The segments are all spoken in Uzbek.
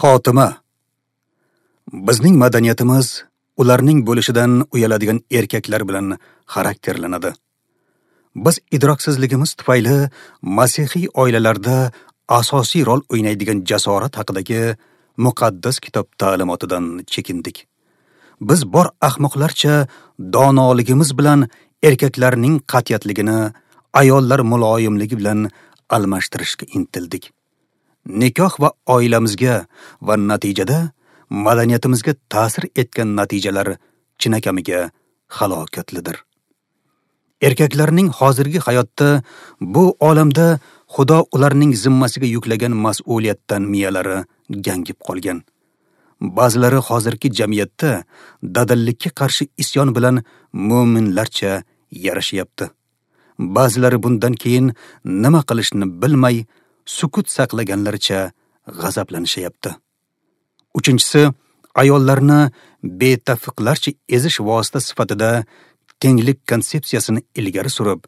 Xotima. Bizning madaniyatimiz ularning bo'lishidan uyaladigan erkaklar bilan xarakterlanadi. Biz idroksizligimiz tufayli masihiy oilalarda asosiy rol o'ynaydigan jasorat haqidagi muqaddas kitob ta'limotidan chekindik. Biz bor ahmoqlarcha donoligimiz bilan erkaklarning qat'iyatligini ayollar muloyimligi bilan almashtirishga intildik. Nikoh va oilamizga va natijada madaniyatimizga ta'sir etgan natijalar chinakamiga halokatlidir. Erkaklarning hozirgi hayotda bu olamda Xudo ularning zimmasiga yuklagan mas'uliyatdan miyalari gangib qolgan. Ba'zilari hozirgi jamiyatda dadillikka qarshi isyon bilan mo'minlarcha yarashyapti. Ba'zilari bundan keyin nima qilishni bilmay sukut saqlaganlaricha g'azablanishyapti. Uchinchisi, ayollarni betafiqlarcha ezish vosita sifatida tenglik konsepsiyasini ilgari surib,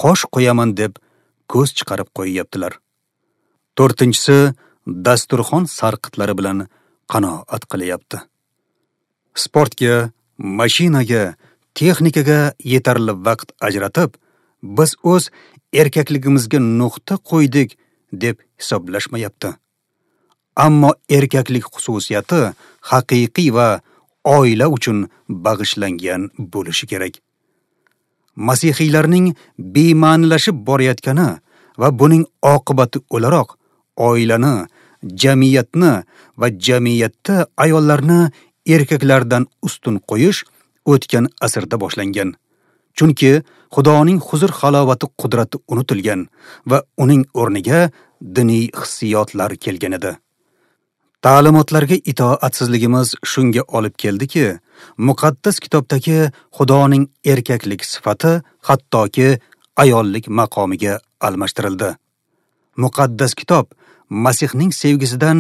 qosh qo'yaman deb ko'z chiqarib qo'yyaptilar. To'rtinchisi, dasturxon sarqitlari bilan qanoat qilyapti. Sportga, mashinaga, texnikaga yetarli vaqt ajratib, biz o'z erkakligimizga nuqta qo'ydik deb hisoblashmayapti. Ammo erkaklik xususiyati haqiqiy va oila uchun bag'ishlangan bo'lishi kerak. Masihiylarning bema'nilashib borayotgani va buning oqibati o'laroq oilani, jamiyatni va jamiyatda ayollarni erkaklardan ustun qo'yish o'tgan asrda boshlangan. Chunki Xudoning huzur halovati qudrati unutilgan va uning o'rniga diniy hissiyotlar kelgan edi. Ta'limotlarga itoatsizligimiz shunga olib keldiki, muqaddas kitobdagi Xudoning erkaklik sifati hattoki ayollik maqomiga almashtirildi. Muqaddas kitob Masihning sevgisidan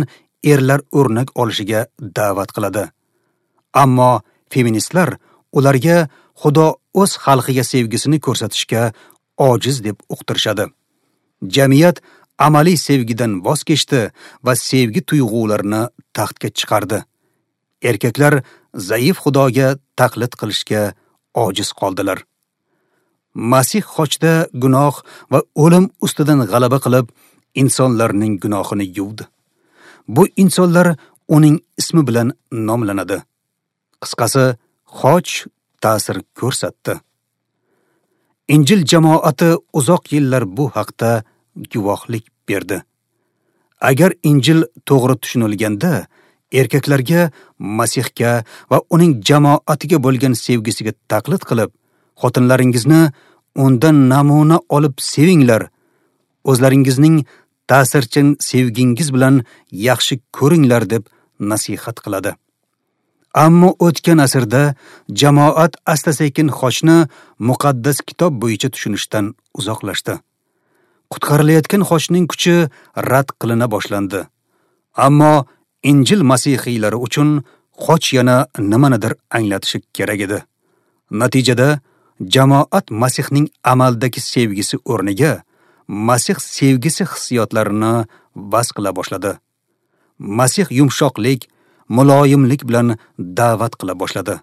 erlar o'rnak olishiga da'vat qiladi. Ammo feministlar ularga Xudo o'z xalqiga sevgisini ko'rsatishga ojiz deb uqtirishadi. Jamiyat amaliy sevgidan voz kechdi va sevgi tuyg'ularini taxtga chiqardi. Erkaklar zaif Xudoga taqlid qilishga ojiz qoldilar. Masih xochda gunoh va o'lim ustidan g'alaba qilib, insonlarning gunohini yuvdi. Bu insonlar uning ismi bilan nomlanadi. Qisqasi, xoch ta'sir ko'rsatdi. Injil jamoati uzoq yillar bu haqda guvohlik berdi. Agar Injil to'g'ri tushunilganda, erkaklarga Masihga va uning jamoatiga bo'lgan sevgisiga taqlid qilib, xotinlaringizni undan namuna olib sevinglar, o'zlaringizning ta'sirchan sevgingiz bilan yaxshi ko'ringlar deb nasihat qiladi. Ammo o'tgan asrda jamoat asta-sekin xochni muqaddas kitob bo'yicha tushunishdan uzoqlashdi. Qutqarilayotgan xochning kuchi rad qilina boshlandi. Ammo Injil masihiylari uchun xoch yana nimanidir anglatishi kerak edi. Natijada jamoat Masihning amaldagi sevgisi o'rniga Masih sevgisi hissiyotlarini vaz qila boshladi. Masih yumshoqlik, muloyimlik bilan da'vat qila boshladi.